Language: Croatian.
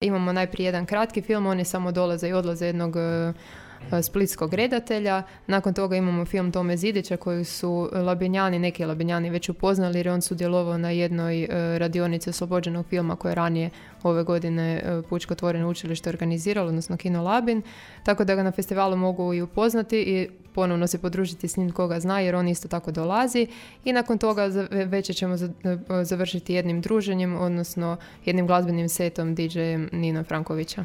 Imamo najprije jedan kratki film, oni samo dolaze i odlaze jednog splitskog redatelja. Nakon toga imamo film Tome Zidića koji su neki Labinjani već upoznali jer on sudjelovao na jednoj radionici oslobođenog filma koje je ranije ove godine Pučko otvoreno učilište organiziralo, odnosno Kino Labin, tako da ga na festivalu mogu i upoznati i ponovno se podružiti s njim koga zna jer on isto tako dolazi i nakon toga večer ćemo završiti jednim druženjem, odnosno jednim glazbenim setom DJ-em Nina Frankovića.